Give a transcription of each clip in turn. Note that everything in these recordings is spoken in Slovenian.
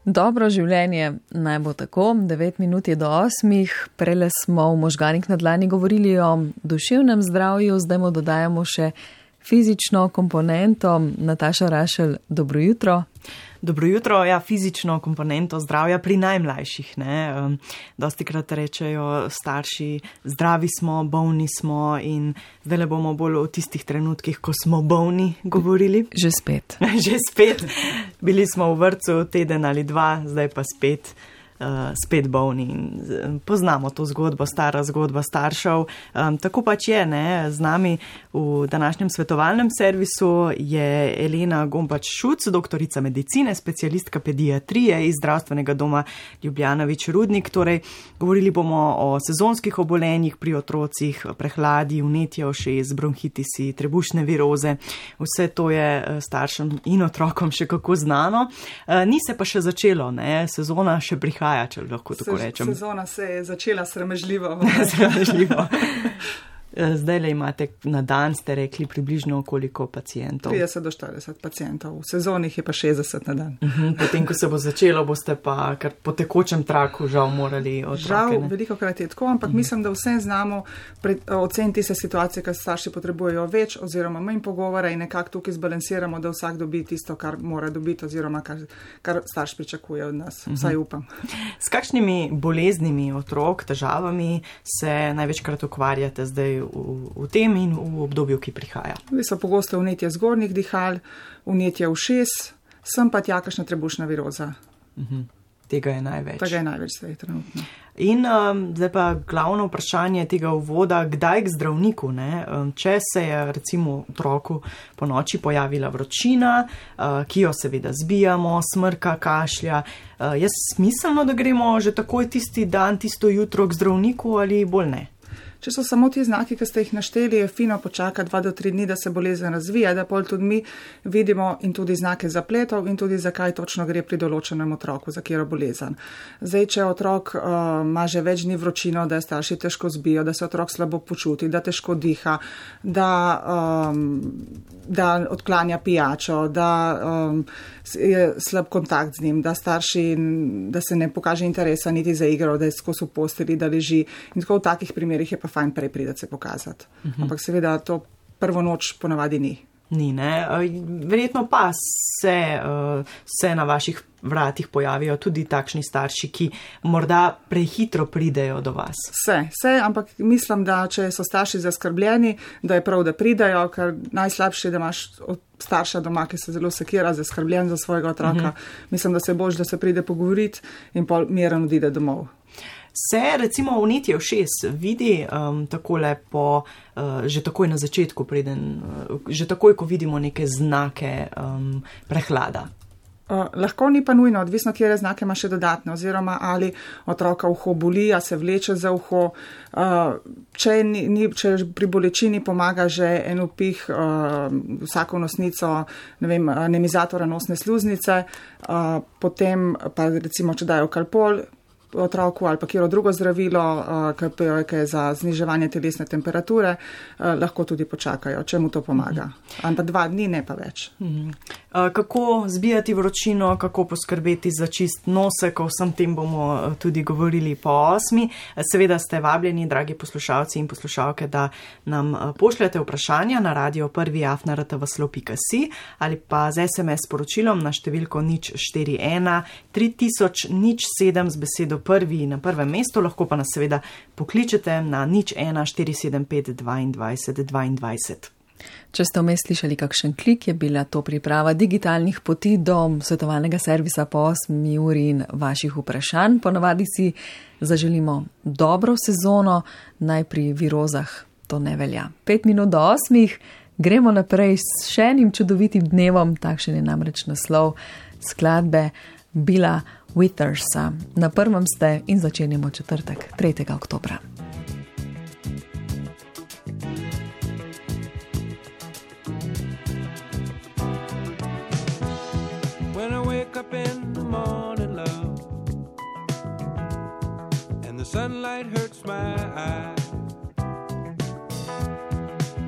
Dobro življenje naj bo tako, 9 minut je do 8, prele smo v Možganih na dlani govorili o duševnem zdravju, zdaj mu dodajamo še fizično komponento. Nataša Rašelj, dobro jutro. Dobro jutro, ja, fizično komponento zdravja pri najmlajših, ne. Dostikrat rečejo starši, zdravi smo, bolni smo in zdaj bomo bolj o tistih trenutkih, ko smo bolni govorili. Že spet. Že spet. Bili smo v vrtcu teden ali dva, zdaj pa spet bolni. Poznamo to zgodbo, stara zgodba staršev. Tako pač je, ne, z nami v današnjem svetovalnem servisu je Elena Gombač-Šuc, doktorica medicine, specialistka pediatrije iz Zdravstvenega doma Ljubljanović Rudnik. Torej, govorili bomo o sezonskih obolenjih pri otrocih, prehladi, vnetje ušes, bronhitisi, trebušne viroze. Vse to je staršem in otrokom še kako znano. Ni se pa še začelo, ne, sezona še prihaja, če lahko tako rečem. Sezona se je začela sramežljivo. Sramežljivo. Zdaj le imate na dan, ste rekli, približno koliko pacientov? 30 do 40 pacientov, v sezonih je pa 60 na dan. Potem, ko se bo začelo, boste pa kar po tekočem traku žal morali otroke. Žal, veliko krat je tako, ampak mislim, da vse znamo oceniti se situacije, kar starši potrebujejo več oziroma manj pogovora in nekako tukaj zbalansiramo, da vsak dobi tisto, kar mora dobiti oziroma kar starš pričakuje od nas, vsaj upam. S kakšnimi boleznimi otrok, težavami se največkrat ukvarjate zdaj v tem in v obdobju, ki prihaja? So pogosto vnetje zgornjih dihal, vnetje ušes, sem pa tja kakšna trebušna viroza. Tega je največ. Tega je največ zdaj trenutno. In zdaj pa glavno vprašanje tega uvoda, kdaj k zdravniku, ne? Če se je recimo otroku po noči pojavila vročina, ki jo seveda zbijamo, smrka, kašlja, je smiselno, da gremo že takoj tisti dan, tisto jutro k zdravniku ali bolj ne? Če so samo ti znaki, ki ste jih našteli, je fino počakati 2 do 3 dni, da se bolezen razvija, da pol tudi mi vidimo in tudi znake zapletov in tudi zakaj točno gre pri določenem otroku, za katero bolezen. Zdaj, če otrok ima že več dni vročino, da je starši težko zbijo, da se otrok slabo počuti, da težko diha, da odklanja pijačo, da je slab kontakt z njim, da starši, da se ne pokaže interesa niti za igro, da je skozi v posteli, da leži. In tako v takih primerih je pa fajn prej priti se pokazati. Ampak seveda to prvo noč ponavadi ni. Ni, ne. Verjetno pa se na vaših vratih pojavijo tudi takšni starši, ki morda prehitro pridejo do vas. Se, ampak mislim, da če so starši zaskrbljeni, da je prav, da pridejo, ker najslabše je, da imaš starša doma, ki se zelo sekira, zaskrbljen za svojega otroka. Mislim, da se boš, da se pride pogovoriti in pol miren odide domov. Se recimo vnetje ušes vidi takole že takoj na začetku, že takoj, ko vidimo neke znake prehlada? Lahko ni pa nujno, odvisno, kjer znake ima še dodatne, oziroma ali otroka uho boli, a se vleče za uho. Če pri bolečini pomaga že en vpih vsako nosnico, nemizatora nosne sluznice, potem pa recimo, če dajo kalpol otroku ali pa kjero drugo zdravilo, ki je za zniževanje telesne temperature, lahko tudi počakajo, če mu to pomaga. Ampak 2 dni, ne pa več. Kako zbijati vročino, kako poskrbeti za čist nosek, o vsem tem bomo tudi govorili po 8. Seveda ste vabljeni, dragi poslušalci in poslušalke, da nam pošljete vprašanja na radio1@rtvslo.si ali pa z SMS sporočilom na številko 041 3007 z besedo prvi na prvem mestu, lahko pa nas seveda pokličete na 01 475 22 22. Če ste vmes slišali kakšen klik, je bila to priprava digitalnih poti do svetovalnega servisa po 8 uri in vaših vprašanj. Ponavadi si zaželimo dobro sezono, naj pri virozah to ne velja. 5 minut do 8, gremo naprej s še enim čudovitim dnevom, takšen je namreč naslov skladbe Billa Withersa. Na prvem ste in začenjamo četrtek, 3. oktobra. When I wake up in the morning, love, and the sunlight hurts my eyes,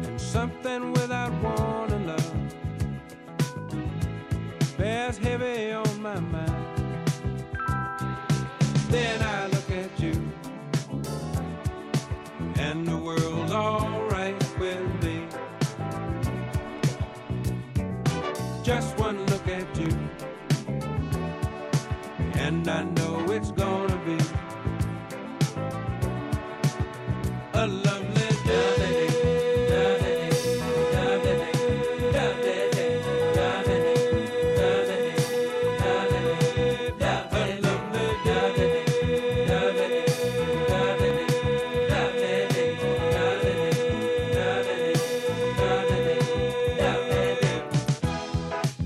and something without warning, love, bears heavy on my mind. and I know it's gonna be a lovely day.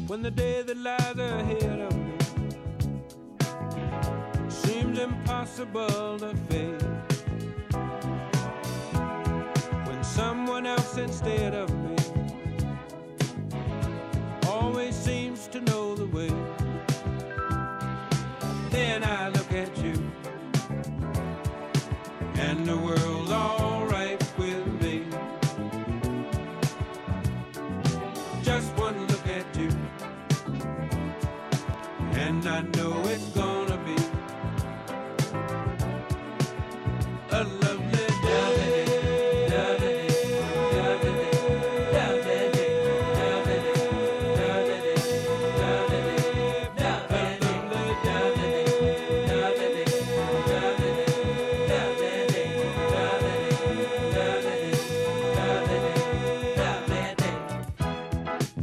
When the day that lies ahead of me seems impossible to face, when someone else instead of me always seems to know the way, then I look at you and the world's all right with me. Just one look at you and I know it's gonna be a lovely day.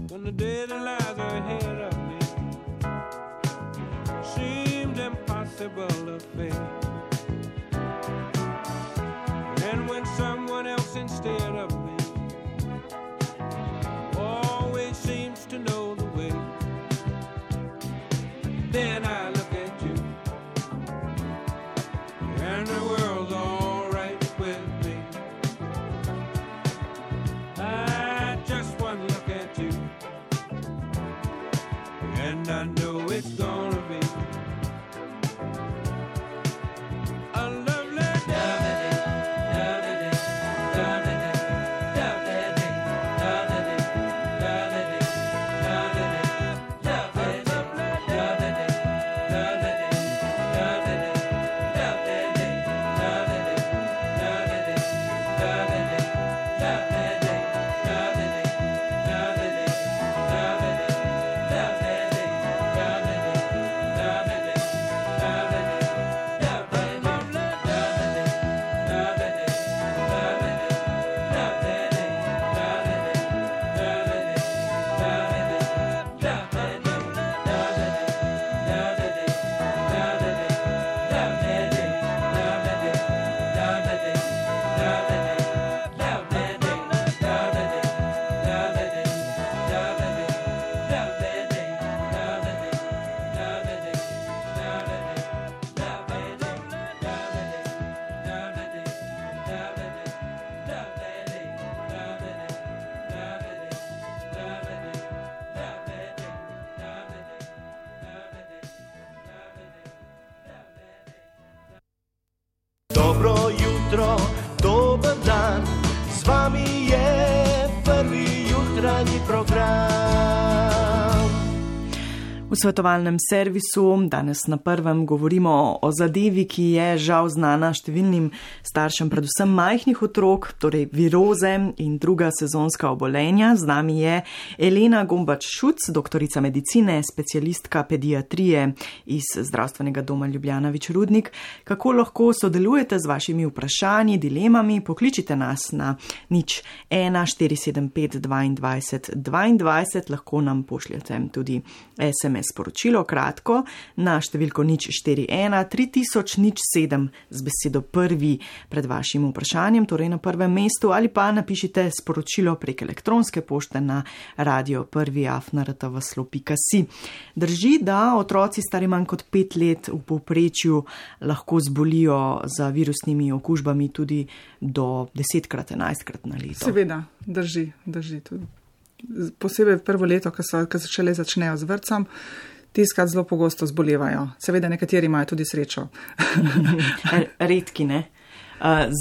When the day that lies ahead of me seems impossible to face, and when someone else instead of me always seems to know the way, then I look at you and the world's all right with me. I just one look at you and I know it's gonna be a lovely day. Dobro jutro, dober dan, z vami je prvi jutranji program. V svetovalnem servisu danes na prvem govorimo o zadevi, ki je žal znana številnim staršem, predvsem majhnih otrok, torej viroze in druga sezonska obolenja. Z nami je Elena Gombač-Šuc, doktorica medicine, specialistka pediatrije iz Zdravstvenega doma Ljubljana Vič-Rudnik. Kako lahko sodelujete z vašimi vprašanji, dilemami? Pokličite nas na 01475 22 22, lahko nam pošljete tudi SMS sporočilo kratko na številko 041 3007 z besedo prvi pred vašim vprašanjem, torej na prvem mestu, ali pa napišite sporočilo prek elektronske pošte na radio1@rtv.si. Drži, da otroci stari manj kot 5 let v povprečju lahko zbolijo za virusnimi okužbami tudi do 10-krat, 11-krat na leto. Seveda, drži tudi. Posebej prvo leto, ko šele začnejo z vrtcem, tiskrat zelo pogosto zbolevajo. Seveda nekateri imajo tudi srečo. Redki, ne?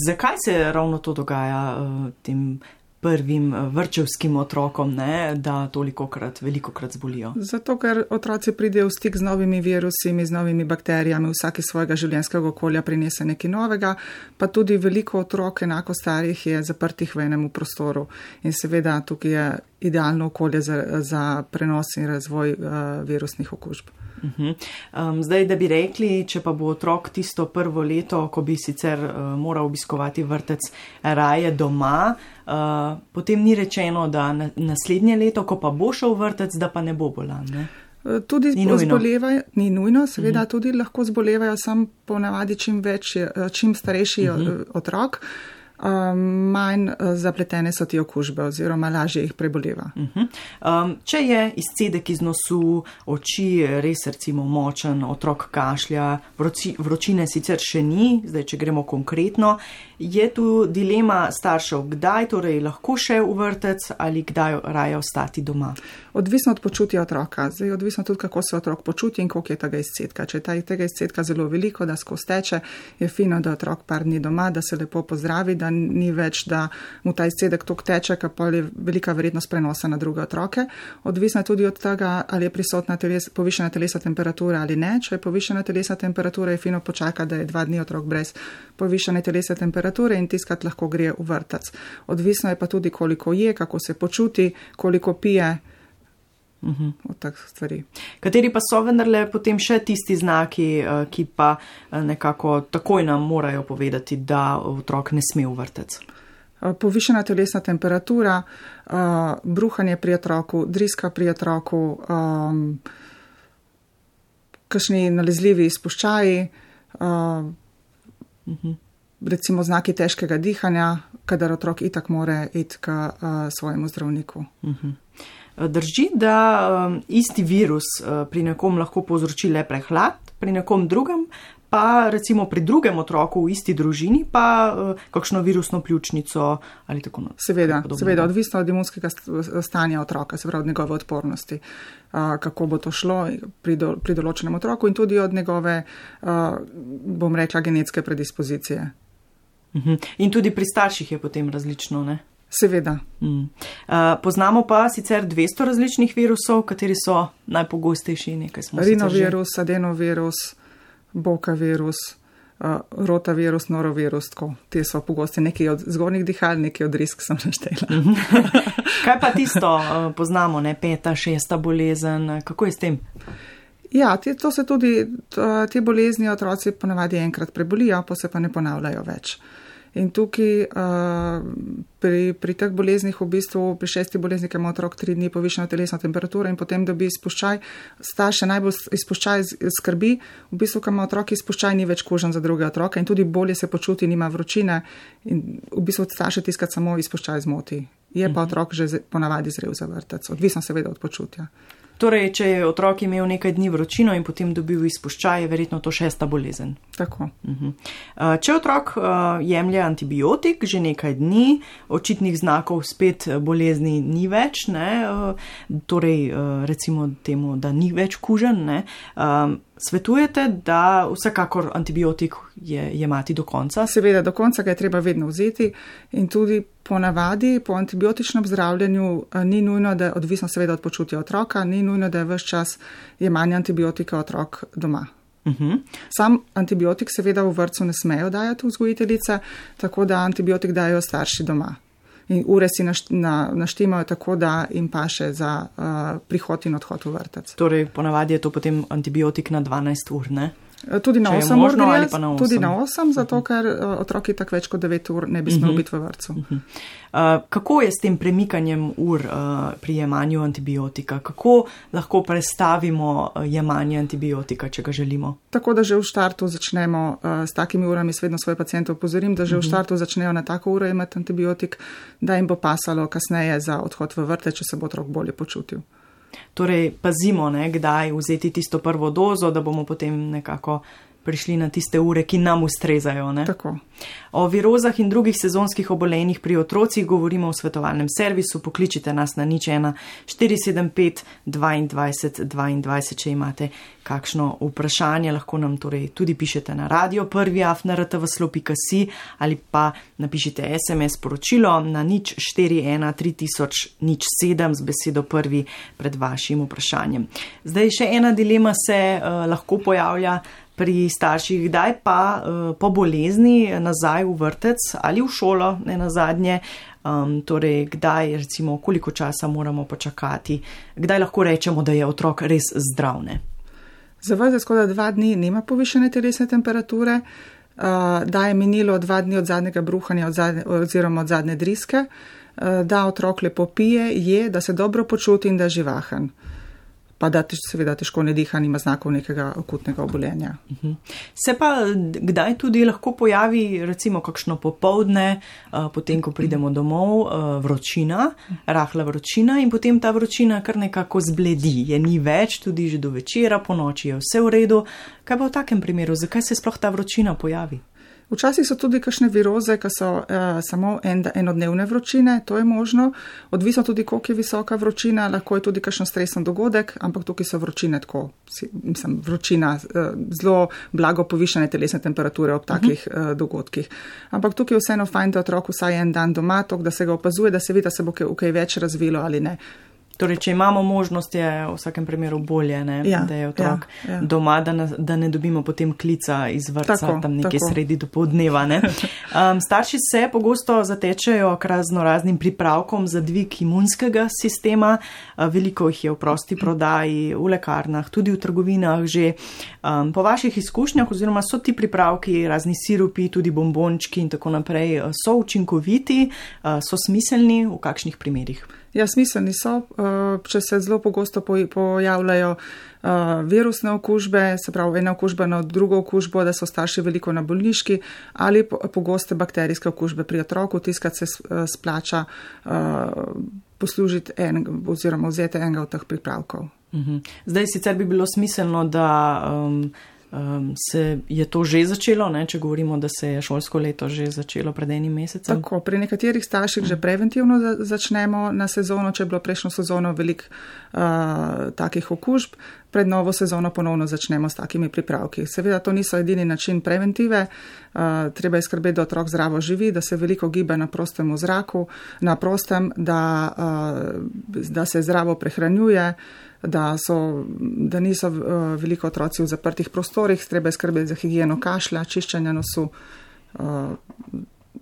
Zakaj se ravno to dogaja tem prvim vrtčevskim otrokom, ne, da velikokrat zbolijo? Zato, ker otroci pridejo v stik z novimi virusi, z novimi bakterijami, vsak iz svojega življenjskega okolja prinese nekaj novega, pa tudi veliko otrok, enako starih, je zaprtih v enem prostoru. In seveda tukaj je idealno okolje za prenos in razvoj virusnih okužb. Zdaj, da bi rekli, če pa bo otrok tisto prvo leto, ko bi sicer moral obiskovati vrtec raje doma, potem ni rečeno, da naslednje leto, ko pa bo šel vrtec, da pa ne bo bolan, ne? Tudi zbolevajo, ni nujno, seveda tudi lahko zbolevajo, sam ponavadi čim starejši otrok, manj zapletene so ti okužbe oziroma lažje jih preboleva. Če je izcedek iz nosu, oči res recimo močen, otrok kašlja, vročine sicer še ni, zdaj če gremo konkretno, je tu dilema staršev, kdaj torej lahko še v vrtec ali kdaj raje ostati doma? Odvisno od počutja otroka, zdaj odvisno tudi, kako se otrok počuti in koliko je tega izcedka. Če je tega izcedka zelo veliko, da skozi teče, je fino, da otrok par dni doma, da se lepo pozdravi, da ni več, da mu ta izcedek tok teče, ker je velika verjetnost prenosa na druge otroke. Odvisno je tudi od tega, ali je prisotna povišena telesna temperatura ali ne. Če je povišena telesna temperatura, je fino počakati, da je 2 dni otrok brez povišene telesne temperature in tiskat lahko gre v vrtec. Odvisno je pa tudi, koliko je, kako se počuti, koliko pije. Od tak stvari. Kateri pa so vendarle potem še tisti znaki, ki pa nekako takoj nam morajo povedati, da otrok ne sme v vrtec? Povišena telesna temperatura, bruhanje pri otroku, driska pri otroku, kakšni nalezljivi izpuščaji, recimo znaki težkega dihanja, kadar otrok itak mora iti k svojemu zdravniku. Drži, da isti virus pri nekom lahko povzroči le prehlad, pri nekom drugem, pa recimo pri drugem otroku v isti družini, pa kakšno virusno pljučnico ali tako naprej. Seveda, odvisno od imunskega stanja otroka, se pravi od njegove odpornosti, kako bo to šlo pri določenem otroku in tudi od njegove, bom rekla, genetske predispozicije. In tudi pri starših je potem različno, ne? Seveda. Poznamo pa sicer 200 različnih virusov, kateri so najpogostejši, nekaj smo sicer že. Rinovirus, adenovirus, boka virus, rotavirus, norovirus, tako. Te so pogosti, nekaj od zgornjih dihal, nekaj od risk sem naštela. Kaj pa tisto poznamo, ne? 5., 6. bolezen, kako je s tem? Ja, to se tudi, te bolezni otroci ponavadi enkrat prebolijo, pa se pa ne ponavljajo več. In tukaj pri teh boleznih v bistvu, pri 6. bolezni, ki ima otrok 3 dni povišeno telesno temperaturo in potem dobi izpuščaj, starše najbolj izpuščaj skrbi, v bistvu, ko ima otrok izpuščaj, ni več kužen za druge otroke in tudi bolje se počuti, nima vročine in v bistvu starše tiskat samo izpuščaj zmoti. Je pa otrok že ponavadi zrel za vrtec, odvisno seveda od počutja. Torej, če je otrok imel nekaj dni vročino in potem dobil izpuščaj, je verjetno to 6. bolezen. Tako. Če otrok jemlje antibiotik že nekaj dni, očitnih znakov spet bolezni ni več, ne? Torej recimo temu, da ni več kužen, ne? Svetujete, da vsekakor antibiotik jemati do konca? Seveda, do konca ga je treba vedno vzeti in tudi ponavadi po antibiotičnem zdravljenju ni nujno, da je odvisno seveda od počutja otroka, ni nujno, da je ves čas jemanje antibiotika otrok doma. Sam antibiotik seveda v vrtcu ne smejo dajati vzgojiteljice, tako da antibiotik dajo starši doma. In ure si naštimajo tako, da jim paše za prihod in odhod v vrtec. Torej, ponavadi je to potem antibiotik na 12 ur, ne? Tudi na 8 ur gre, tudi na 8, zato ker otroki tak več kot 9 ur ne bi smel biti v vrtcu. Kako je s tem premikanjem ur pri jemanju antibiotika? Kako lahko prestavimo jemanje antibiotika, če ga želimo? Tako, da že v štartu začnemo s takimi urami, vedno svoje paciente opozorim, da že v štartu začnejo na tako uro jemati antibiotik, da jim bo pasalo kasneje za odhod v vrtec, če se bo otrok bolje počutil. Torej, pazimo, ne, kdaj vzeti tisto prvo dozo, da bomo potem nekako prišli na tiste ure, ki nam ustrezajo, ne? Tako. O virozah in drugih sezonskih obolenjih pri otrocih govorimo v svetovalnem servisu. Pokličite nas na 01 475 22 22, če imate kakšno vprašanje, lahko nam torej tudi pišete na radio prvi@rtvslo.si ali pa napišite SMS sporočilo na 041 3000 07 z besedo prvi pred vašim vprašanjem. Zdaj še ena dilema se lahko pojavlja pri starših, kdaj pa po bolezni nazaj v vrtec ali v šolo, ne nazadnje, torej kdaj, recimo, koliko časa moramo počakati, kdaj lahko rečemo, da je otrok res zdrav, ne? Zavrzel skoraj 2 dni, nima povišene telesne temperature, da je minilo 2 dni od zadnjega bruhanja oziroma od zadnje driske, da otrok lepo pije, je, da se dobro počuti in da je živahen. Pa da seveda težko ne diha, nima znakov nekega akutnega obolenja. Se pa kdaj tudi lahko pojavi recimo kakšno popoldne, potem ko pridemo domov, vročina, rahla vročina in potem ta vročina kar nekako zbledi, je ni več, tudi že do večera, po noči je vse v redu. Kaj pa v takem primeru, zakaj se sploh ta vročina pojavi? Včasih so tudi kakšne viroze, ki so samo enodnevne vročine, to je možno. Odvisno tudi, koliko je visoka vročina, lahko je tudi kakšen stresen dogodek, ampak tukaj so vročine tako, vročina, zelo blago povišene telesne temperature ob takih dogodkih. Ampak tukaj je vseeno fajn, da otrok vsaj en dan doma, tok, da se ga opazuje, da se vidi, da se bo kaj več razvilo ali ne. Torej, če imamo možnost, je v vsakem primeru bolje, ne? Da je otrok doma, da ne dobimo potem klica iz vrtca tam nekje sredi dopoldneva. Ne? Starši se pogosto zatečejo k raznoraznim pripravkom za dvig imunskega sistema. Veliko jih je v prosti prodaji, v lekarnah, tudi v trgovinah že. Po vaših izkušnjah oziroma so ti pripravki, razni sirupi, tudi bombončki in tako naprej, so učinkoviti, so smiselni v kakšnih primerih? Ja, smiselni so, če se zelo pogosto pojavljajo virusne okužbe, se pravi ena okužba na drugo okužbo, da so starši veliko na bolniški ali pogoste bakterijske okužbe pri otroku, tiskrat se splača poslužiti oziroma vzeti enega od teh pripravkov. Zdaj sicer bi bilo smiselno, da se je to že začelo, ne? Če govorimo, da se je šolsko leto že začelo pred enim mesecem. Tako, pri nekaterih starših že preventivno začnemo na sezono, če je bilo prejšnjo sezono veliko takih okužb, pred novo sezono ponovno začnemo s takimi pripravki. Seveda to niso edini način preventive, treba je skrbeti, da otrok zdravo živi, da se veliko giba na prostem v zraku, na prostem, da se zdravo prehranjuje, da niso veliko otroci v zaprtih prostorih, treba je skrbeti za higieno kašlja, čiščenja nosu,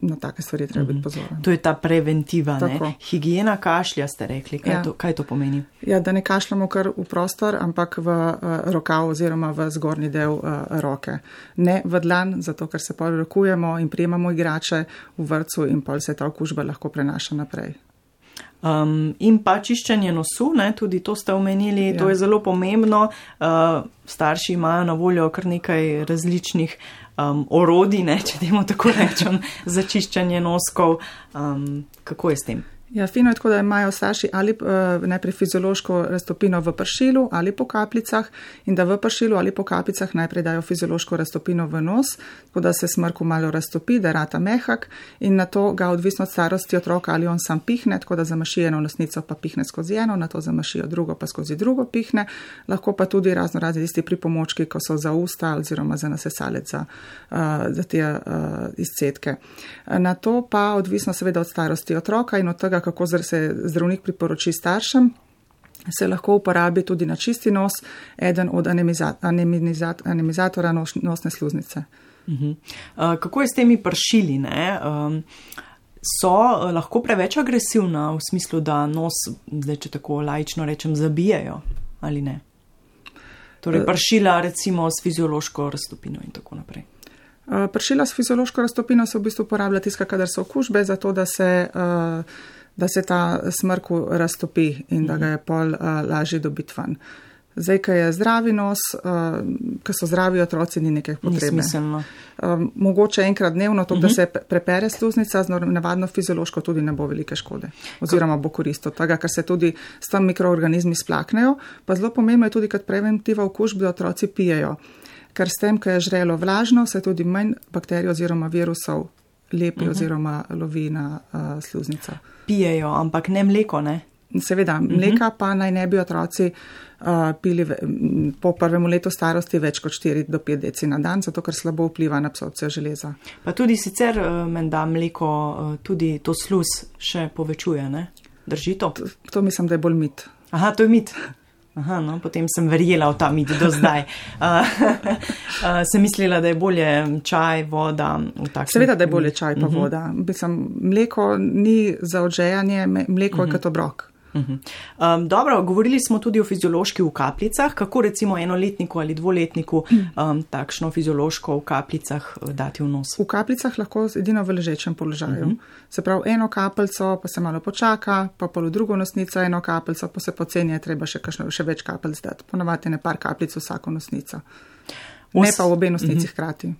na take stvari treba biti pozoren. To je ta preventiva, ne? Higiena kašlja ste rekli, kaj to pomeni? Ja, da ne kašljamo kar v prostor, ampak v rokav oziroma v zgornji del roke. Ne v dlan, zato ker se pol rokujemo in prijemamo igrače v vrtcu in pol se ta okužba lahko prenaša naprej. In pa čiščenje nosu, ne, tudi to ste omenili, to je zelo pomembno. Starši imajo na voljo kar nekaj različnih orodij, ne, če temu tako rečem, za čiščenje noskov. Kako je s tem? Ja, fino je tako, da imajo starši ali najprej fiziološko raztopino v pršilu ali po kapljicah in da v pršilu ali po kapljicah najprej dajo fiziološko raztopino v nos, tako da se smrku malo raztopi, da rata mehak in na to ga odvisno od starosti otroka ali on sam pihne, tako da zamaši eno nosnico pa pihne skozi eno, na to zamašijo drugo pa skozi drugo pihne, lahko pa tudi razni tisti pripomočki, ko so za usta oziroma za nasesalec za te izcedke. Na to pa odvisno seveda od starosti otroka in od tega, kako se zdravnik priporoči staršem, se lahko uporabi tudi na čisti nos eden od anemizatora nosne sluznice. Kako je s temi pršili, ne? So lahko preveč agresivna v smislu, da nos, zdaj če tako laično rečem, zabijajo ali ne? Torej pršila recimo s fiziološko raztopino in tako naprej. Pršila s fiziološko raztopino se v bistvu uporablja tiska, kadar so okužbe, zato da se ta smrku raztopi in da ga je pol lažje dobiti ven. Zdaj, ko je zdravi nos, ko so zdravi otroci, ni nekaj potrebe. Ni smiselno. Mogoče enkrat dnevno, to, da se prepere sluznica, navadno fiziološko tudi ne bo velike škode. Oziroma bo korist od tega, ker se tudi s tem mikroorganizmi splaknejo. Pa zelo pomembno je tudi, kad preventiva okužb, da otroci pijejo. Ker s tem, ko je žrelo vlažno, se tudi manj bakterij oziroma virusov lepi oziroma lovi na sluznico. Pijejo, ampak ne mleko, ne? Seveda, mleka pa naj ne bi otroci pili po prvem letu starosti več kot 4 do 5 deci na dan, zato ker slabo vpliva na absorpcijo železa. Pa tudi sicer menda mleko tudi to sluz še povečuje, ne? Drži to? To mislim, da je bolj mit. Aha, to je mit. Aha, no, potem sem verjela v ta mit do zdaj. Sem mislila, da je bolje čaj, voda. Seveda, da je bolje čaj pa voda. Mleko ni za odžejanje, mleko je kot obrok. Dobro, govorili smo tudi o fiziološki v kapljicah. Kako recimo enoletniku ali dvoletniku takšno fiziološko v kapljicah dati v nos? V kapljicah lahko edino v ležečem položaju. Se pravi, eno kapljico, pa se malo počaka, pa pol v drugo nosnico, eno kapljico, pa se poceni, je treba še več kapljic dati. Ponavadi ne par kapljic vsako nosnico. Ne pa v obe nosnici hkrati.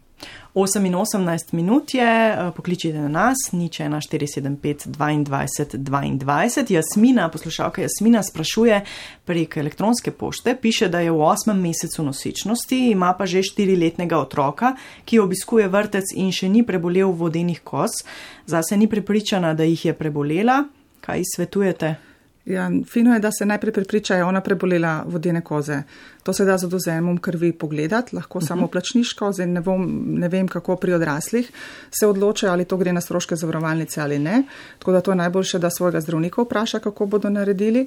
8:18 minut je, pokličite na nas, 01475 22 22. Jasmina, poslušalka Jasmina sprašuje prek elektronske pošte, piše, da je v 8. mesecu nosečnosti, ima pa že 4-letnega otroka, ki obiskuje vrtec in še ni prebolel vodenih koz. Zase ni prepričana, da jih je prebolela. Kaj ji svetujete? Ja, fino je, da se najprej prepriča, je ona prebolela vodene koze. To se da z odvzemom krvi pogledati, lahko samo plačniško, zdaj ne vem, kako pri odraslih se odločajo, ali to gre na stroške zavarovalnice ali ne. Tako da to je najboljše, da svojega zdravnika vpraša, kako bodo naredili.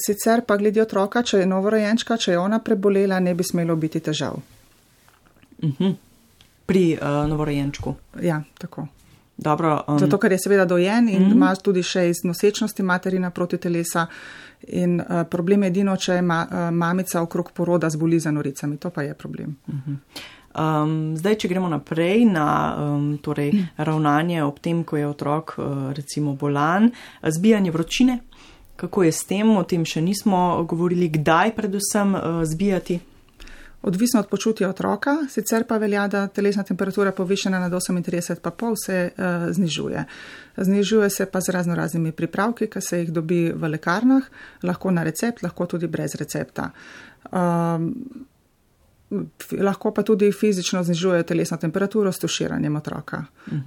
Sicer pa glede otroka, če je novorojenčka, če je ona prebolela, ne bi smelo biti težav. Pri novorojenčku? Ja, tako. Dobro, zato, ker je seveda dojen in ima tudi še iz nosečnosti materina proti telesa in problem je edino, če je mamica okrog poroda zboli za noricami, to pa je problem. Zdaj, če gremo naprej na torej, ravnanje ob tem, ko je otrok recimo bolan, zbijanje vročine, kako je s tem, o tem še nismo govorili, kdaj predvsem zbijati? Odvisno od počutja otroka, sicer pa velja, da telesna temperatura povišena nad 38,5 se znižuje. Znižuje se pa z raznoraznimi pripravki, ki se jih dobi v lekarnah, lahko na recept, lahko tudi brez recepta. Lahko pa tudi fizično znižuje telesno temperaturo s tuširanjem otroka.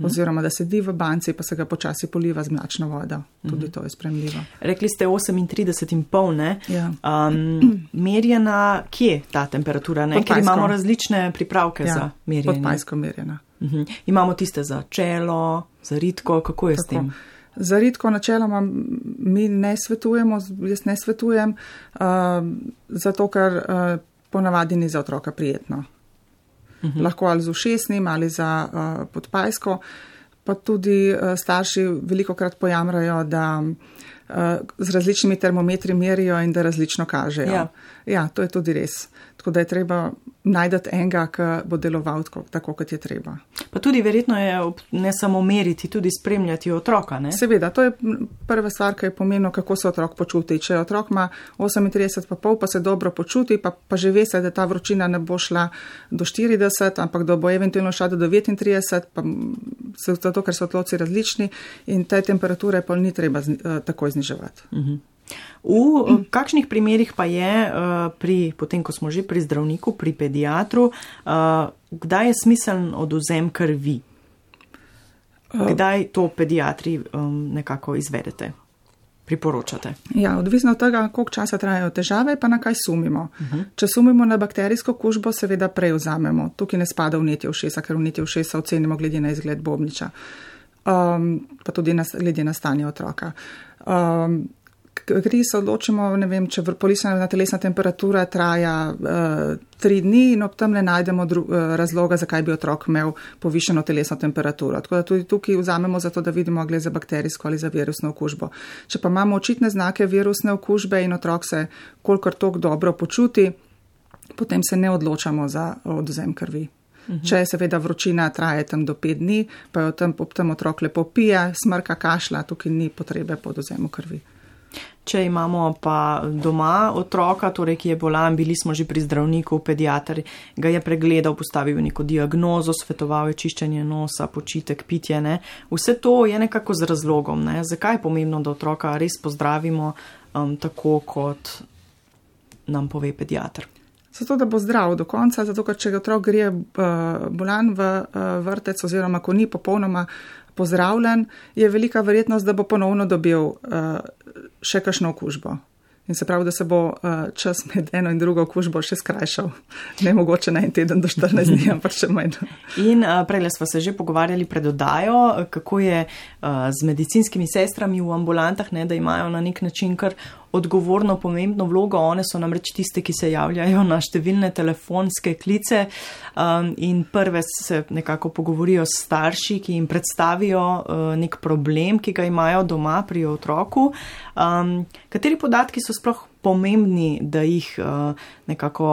Oziroma, da sedi v banci, pa se ga počasi poliva z mlačno vodo. Tudi to je sprejemljivo. Rekli ste 38,5, ne? Ja. Merjena, kje ta temperatura, ne? Ker imamo različne pripravke za merjenje. Podpajsko merjena. Imamo tiste za čelo, za ritko, kako je s tem? Za ritko načeloma mi ne svetujemo, jaz ne svetujem, zato ker ponavadi ni za otroka prijetno. Lahko ali z ušesnim ali za podpajsko, pa tudi starši velikokrat pojamrajo, da z različnimi termometri merijo in da različno kažejo. Ja, to je tudi res. Tako da je treba najdati enega, ki bo deloval tako, kot je treba. Pa tudi verjetno je ne samo meriti, tudi spremljati otroka, ne? Seveda, to je prva stvar, ki je pomembno, kako se otrok počuti. Če otrok ima 38,5, pa se dobro počuti, pa že ve se, da ta vročina ne bo šla do 40, ampak da bo eventualno šla do 39, pa zato, ker so otroci različni in te temperature pa ni treba takoj zniževati. V kakšnih primerih pa je, potem ko smo že pri zdravniku, pri pediatru, kdaj je smiseln odvzem krvi? Kdaj to pediatri nekako izvedete, priporočate? Ja, odvisno od tega, koliko časa trajajo težave, pa na kaj sumimo. Če sumimo na bakterijsko kužbo, seveda prej vzamemo. Tukaj ne spada vnetje ušesa, ker vnetje ušesa ocenimo glede na izgled bobniča, pa tudi glede na stanje otroka. Kri se odločimo, ne vem, če polisana telesna temperatura traja 3 dni in ob tem ne najdemo razloga, zakaj bi otrok imel povišeno telesno temperaturo. Tako da tudi tukaj vzamemo zato, da vidimo, gre za bakterijsko ali za virusno okužbo. Če pa imamo očitne znake virusne okužbe in otrok se kolikor toliko dobro počuti, potem se ne odločamo za odvzem krvi. Če seveda vročina traje tam do 5 dni, pa jo ob tem otrok lepo pije, smrka, kašlja, tukaj ni potrebe po odvzemu krvi. Če imamo pa doma otroka, torej, ki je bolan, bili smo že pri zdravniku, pediatr ga je pregledal, postavil neko diagnozo, svetoval je čiščenje nosa, počitek, pitje, ne. Vse to je nekako z razlogom, ne. Zakaj je pomembno, da otroka res pozdravimo tako, kot nam pove pediatr? Zato, da bo zdrav do konca, zato, ker če otrok gre bolan v vrtec oziroma ko ni popolnoma pozdravljen, je velika verjetnost, da bo ponovno dobil še kakšno okužbo. In se pravi, da se bo čas med eno in drugo okužbo še skrajšal. Ne mogoče na en teden do 14 dni, ampak še manj. In prejle smo se že pogovarjali pred oddajo, kako je z medicinskimi sestrami v ambulantah, ne, da imajo na nek način kar odgovorno, pomembno vlogo. One so namreč tiste, ki se javljajo na številne telefonske klice in prve se nekako pogovorijo s starši, ki jim predstavijo nek problem, ki ga imajo doma pri otroku. Kateri podatki so sploh pomembni, da jih nekako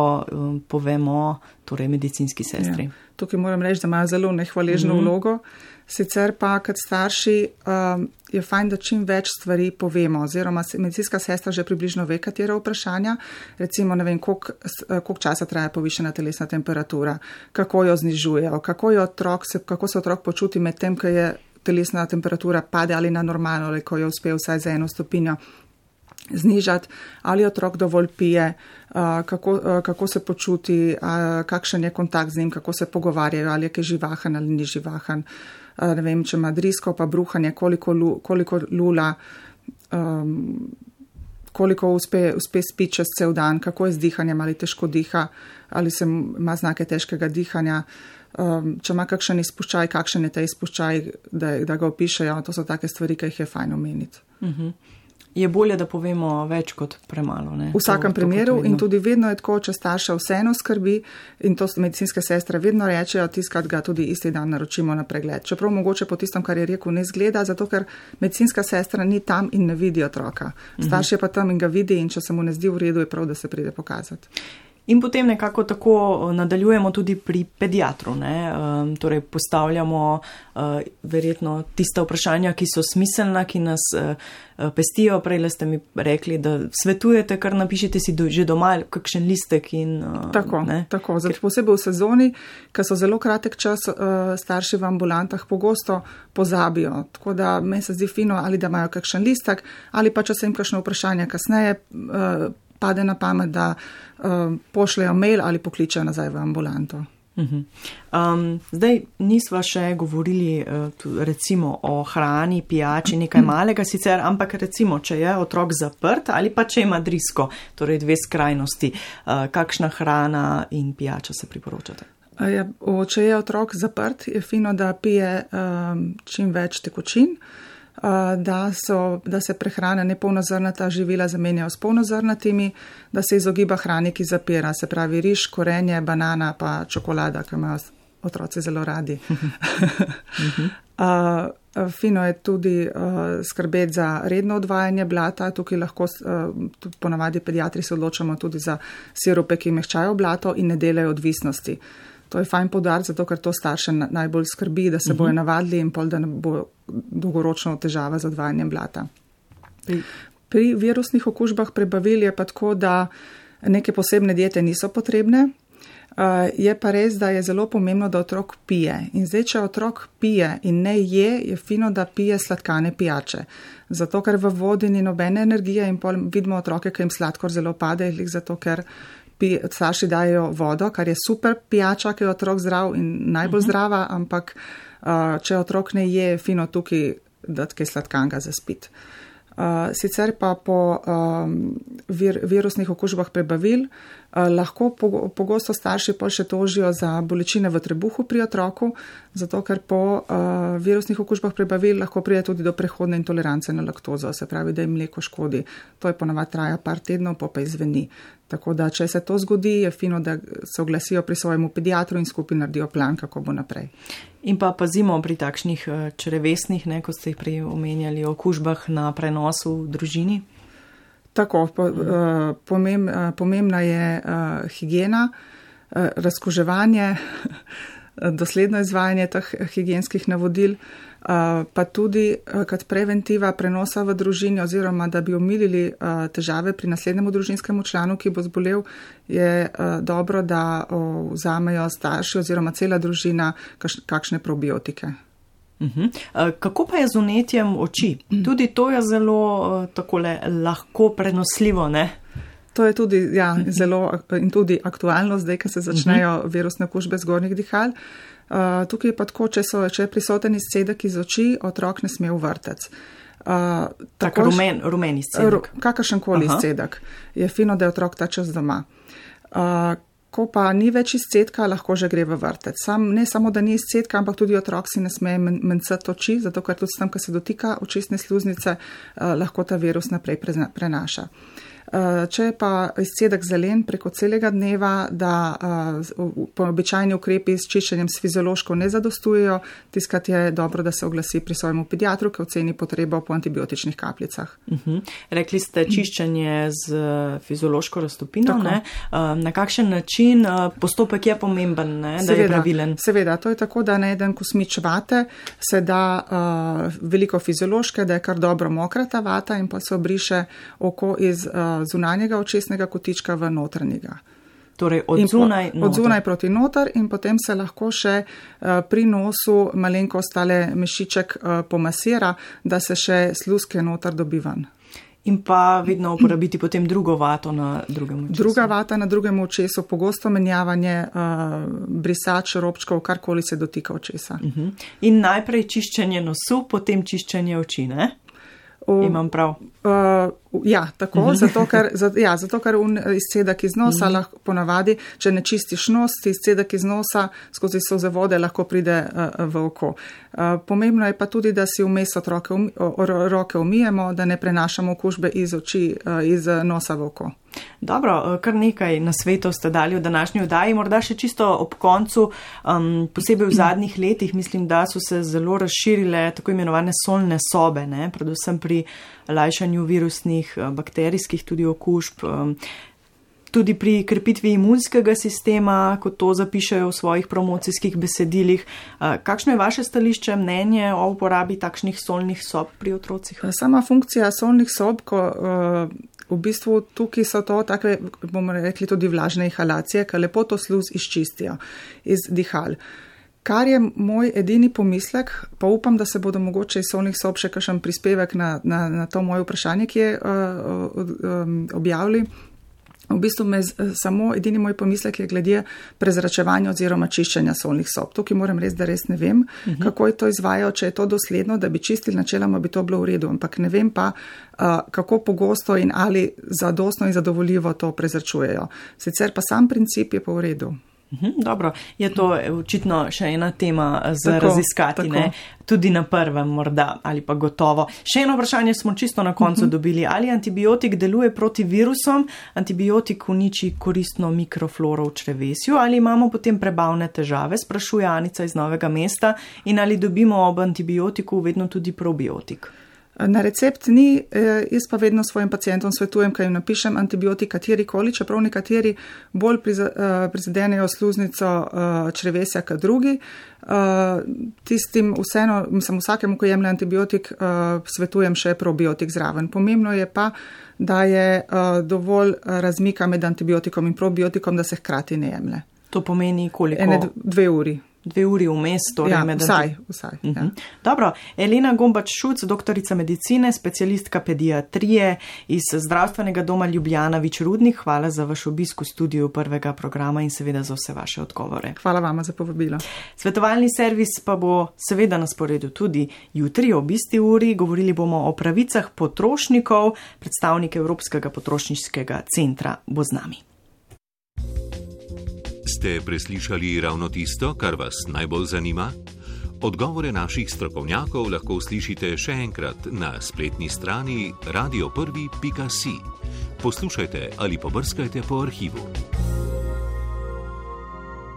povemo, torej medicinski sestri? Ja. Tukaj moram reči, da imajo zelo nehvaležno vlogo. Sicer pa, kot starši, je fajn, da čim več stvari povemo, oziroma medicinska sestra že približno ve, katera vprašanja. Recimo, ne vem, koliko časa traja povišena telesna temperatura, kako jo znižujejo, kako se otrok počuti med tem, ko je telesna temperatura pade ali na normalno, ali ko jo uspe vsaj za 1 stopinjo znižati, ali otrok dovolj pije, kako se počuti, kakšen je kontakt z njim, kako se pogovarjajo, ali je kaj živahen ali ni živahen. Ne vem, če ima drisko pa bruhanje, koliko lula, koliko uspe spiti čez cel dan, kako je z dihanjem, ali težko diha, ali ima znake težkega dihanja, če ima kakšen izpuščaj, kakšen je ta izpuščaj, da ga opišejo. To so take stvari, ki jih je fajn omeniti. Je bolje, da povemo več kot premalo, ne? V vsakem primeru in tudi vedno je tako, če starša vseeno skrbi in to medicinske sestre vedno rečejo, tiskrat ga tudi isti dan naročimo na pregled. Čeprav mogoče po tistem, kar je rekel, ne zgleda, zato ker medicinska sestra ni tam in ne vidi otroka. Starš je pa tam in ga vidi in če se mu ne zdi v redu, je prav, da se pride pokazati. In potem nekako tako nadaljujemo tudi pri pediatru, ne? Torej postavljamo verjetno tista vprašanja, ki so smiselna, ki nas pestijo. Prejle ste mi rekli, da svetujete, kar napišete si že doma kakšen listek in Tako. Zato posebej v sezoni, ker so zelo kratek čas, starši v ambulantah pogosto pozabijo. Tako da meni se zdi fino, ali da imajo kakšen listek, ali pa če se jim kakšno vprašanje kasneje pade na pamet, da pošljajo mail ali pokličajo nazaj v ambulanto. Zdaj nisva še govorili recimo o hrani, pijači, nekaj malega sicer, ampak recimo, če je otrok zaprt ali pa če ima drisko, torej 2 skrajnosti, kakšna hrana in pijača se priporočate? Če je otrok zaprt, je fino, da pije čim več tekočin, da se prehrana nepolnozrnata živila zamenjajo s polnozrnatimi, da se izogiba hrani, ki zapira, se pravi riž, korenje, banana pa čokolada, ki imajo otroci zelo radi. Fino je tudi skrbeti za redno odvajanje blata, tukaj lahko ponavadi pediatri se odločamo tudi za sirupe, ki mehčajo blato in ne delajo odvisnosti. To je fajn poudariti, zato ker to starše najbolj skrbi, da se bojo navadili in pol, da ne bo dolgoročno težava z odvajanjem blata. Pri virusnih okužbah prebavil je pa tako, da neke posebne diete niso potrebne. Je pa res, da je zelo pomembno, da otrok pije. In zdaj, če otrok pije in ne je fino, da pije sladkane pijače. Zato, ker v vodi ni nobene energije in pol vidimo otroke, ki jim sladkor zelo pade, zato ker starši dajo vodo, kar je super pijača, ki je otrok zdrav in najbolj zdrava, ampak če otrok ne je, fino tukaj dati kaj sladkanega za spit. Sicer pa po virusnih okužbah prebavil lahko pogosto starši pol še tožijo za bolečine v trebuhu pri otroku, zato ker po virusnih okužbah prebavil lahko pride tudi do prehodne intolerance na laktozo, se pravi, da jim mleko škodi. To je ponavadi traja par tednov, pa izveni. Tako da, če se to zgodi, je fino, da se oglasijo pri svojemu pediatru in skupaj naredijo plan, kako bo naprej. In pa pazimo pri takšnih črevesnih, kot ste jih prej omenjali, okužbah na prenosu v družini? Tako, pomembna je higiena, razkuževanje, dosledno izvajanje teh higienskih navodil, pa tudi kot preventiva prenosa v družini oziroma da bi omilili težave pri naslednjemu družinskemu članu, ki bo zbolel, je dobro, da vzamejo starši oziroma cela družina kakšne probiotike. Kako pa je z vnetjem oči? Tudi to je zelo takole lahko prenosljivo, ne? To je tudi, zelo in tudi aktualno zdaj, ko se začnejo virusne okužbe zgornjih dihal. Tukaj je pa tako, če je prisoten izcedek iz oči, otrok ne sme v vrtec. Tak rumen izcedek. Kakršenkoli izcedek. Je fino, da je otrok ta čas doma. Ko pa ni več izcedka, lahko že gre v vrtec. Ne samo, da ni izcedka, ampak tudi otrok si ne sme mencati oči, zato ker tudi tam, ko se dotika očesne sluznice, lahko ta virus naprej prenaša. Če pa izcedek zelen preko celega dneva, da običajni ukrepi s čiščenjem s fiziološko ne zadostujejo, tiskrat je dobro, da se oglasi pri svojemu pediatru, ki oceni potrebo po antibiotičnih kapljicah. Rekli ste čiščenje z fiziološko raztopino, ne? Na kakšen način? Postopek je pomemben, ne? Da je pravilen. Seveda, to je tako, da na eden kosmič vate se da veliko fiziološke, da je kar dobro mokra ta vata in pa se obriše oko iz zunanjega očesnega kotička v notranjega. Torej od zunaj proti noter in potem se lahko še pri nosu malenko ostale mešiček pomasira, da se še sluzke noter dobi ven. In pa vedno uporabiti potem drugo vato na drugem očesu. Druga vata na drugem očesu, pogosto menjavanje brisač, robčkov, karkoli se dotika očesa. In najprej čiščenje nosu, potem čiščenje oči, ne? Imam prav. Ja, tako, zato ker izcedek iz nosa lahko ponavadi, če ne čistiš nos, izcedek iz nosa skozi solzevode lahko pride v oko. Pomembno je pa tudi, da si vmes roke umijemo, da ne prenašamo okužbe iz oči, iz nosa v oko. Dobro, kar nekaj nasvetov ste dali v današnji oddaji, morda še čisto ob koncu, posebej v zadnjih letih, mislim, da so se zelo razširile tako imenovane solne sobe, ne? Predvsem pri lajšanju virusnih, bakterijskih tudi okužb, tudi pri krepitvi imunskega sistema, kot to zapišajo v svojih promocijskih besedilih. Kakšno je vaše stališče, mnenje o uporabi takšnih solnih sob pri otrocih? Sama funkcija solnih sob, ko v bistvu tukaj so to take, bomo rekli, tudi vlažne inhalacije, ki lepo to sluz izčistijo iz dihal. Kar je moj edini pomislek, pa upam, da se bodo mogoče iz solnih sob še kakšen prispevek na to moje vprašanje, ki je objavili. V bistvu samo edini moj pomislek je glede prezračevanja oziroma čiščenja solnih sob. Tukaj moram res, da res ne vem, kako je to izvajal, če je to dosledno, da bi čistili načeloma, bi to bilo v redu, ampak ne vem pa, kako pogosto in ali zadostno in zadovoljivo to prezračujejo. Sicer pa sam princip je pa v redu. Dobro, je to očitno še ena tema za raziskati, ne? Tudi na prvem morda ali pa gotovo. Še eno vprašanje smo čisto na koncu dobili. Ali antibiotik deluje proti virusom, antibiotik uniči koristno mikrofloro v črevesju ali imamo potem prebavne težave, sprašuje Anica iz Novega mesta, in ali dobimo ob antibiotiku vedno tudi probiotik? Na recept ni, jaz pa vedno svojim pacientom svetujem, kaj jim napišem antibiotik katerikoli, čeprav nekateri bolj prizadenejo sluznico črevesja kot drugi. Tistim vseeno, vsakemu, ko jemlje antibiotik, svetujem še probiotik zraven. Pomembno je pa, da je dovolj razmika med antibiotikom in probiotikom, da se hkrati ne jemlje. To pomeni koliko? 2 uri. 2 uri vmes, torej med vsaj. Ja. Dobro, Elena Gombač-Šuc, doktorica medicine, specialistka pediatrije iz Zdravstvenega doma Ljubljana Vič-Rudnik, hvala za vaš obisk v studiu prvega programa in seveda za vse vaše odgovore. Hvala vama za povabilo. Svetovalni servis pa bo seveda na sporedu tudi jutri ob isti uri. Govorili bomo o pravicah potrošnikov, predstavnik Evropskega potrošniškega centra bo z nami. Ste preslišali ravno tisto, kar vas najbolj zanima? Odgovore naših strokovnjakov lahko uslišite še enkrat na spletni strani radio1.si. Poslušajte ali pobrskajte po arhivu.